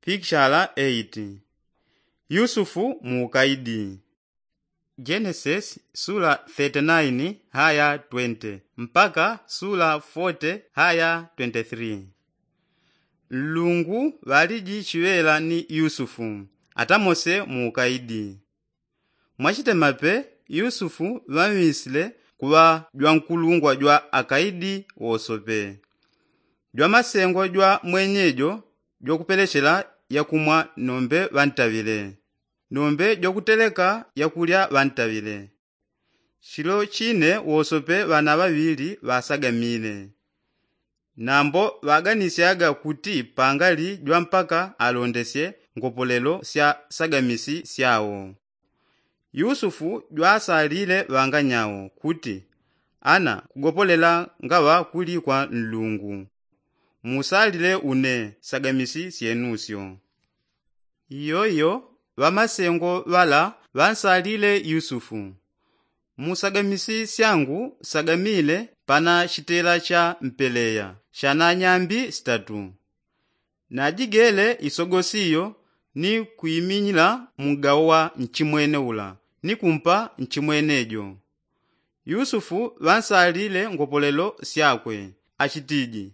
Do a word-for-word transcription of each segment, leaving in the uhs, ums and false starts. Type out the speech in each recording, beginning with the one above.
Pikishala eiti. Yusufu mu ukaidi. Genesis sula thirty-nine haya twenty mpaka sula forty haya twenty-three. Nlungu ŵaliji chiŵela ni yusufu atamose mu ukaidi. Mwachitemape yusufu ŵamwisile kuŵa jwankulungwa jwa akaidi wosope. Jwamasengwa jwa mwenyejo jwakupelechela yakumwa nombe ŵantaŵile, nombe jwakuteleka yakulya ŵantaŵile. Chilo chine wosope ŵana ŵaŵili ŵasagamile. Nambo ŵaganisyaga kuti pangali jwampaka alondesye ngopolelo sya sagamisi syao. Yusufu jwasalile ŵanganyao kuti, ana kugopolela ngaŵa kuli kwa nlungu. Musalile une sagamisi syenusyo. Iyoiyo ŵamasengo ŵala ŵansalile yusufu. Mu sagamisi syangu sagamile pana chitela cha mpeleya shana nyambi sitatu. Najigele isogosi iyo ni kuiminyila mungawo wa nchimwene ula ni kumpa nchimwenejo. Yusufu ŵansalile ngopolelo syakwe achitiji,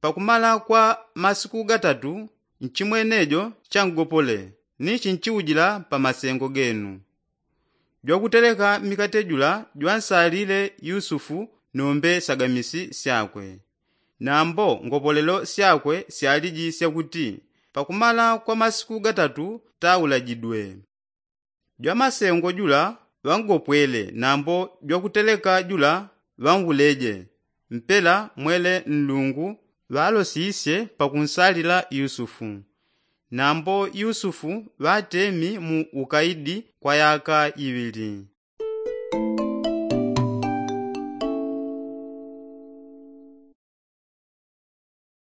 pakumala kwa masiku gatatu nchimwenejo changopole ni chinchiujila pa masengo genu. Jwakuteleka mikate jula jwansalile yusufu nombe sagamisi syakwe. Nambo ngopolelo syakwe syaliji syakuti pakumala kwa masiku gatatu taulajidwe. Jwamasengo jula ŵangopwele nambo jwakuteleka jula ŵanguleje. Mpela mwele nlungu ŵalosisye pakunsalila yusufu. Nambo yusufu ŵatemi mu ukaidi kwa yaka iŵili.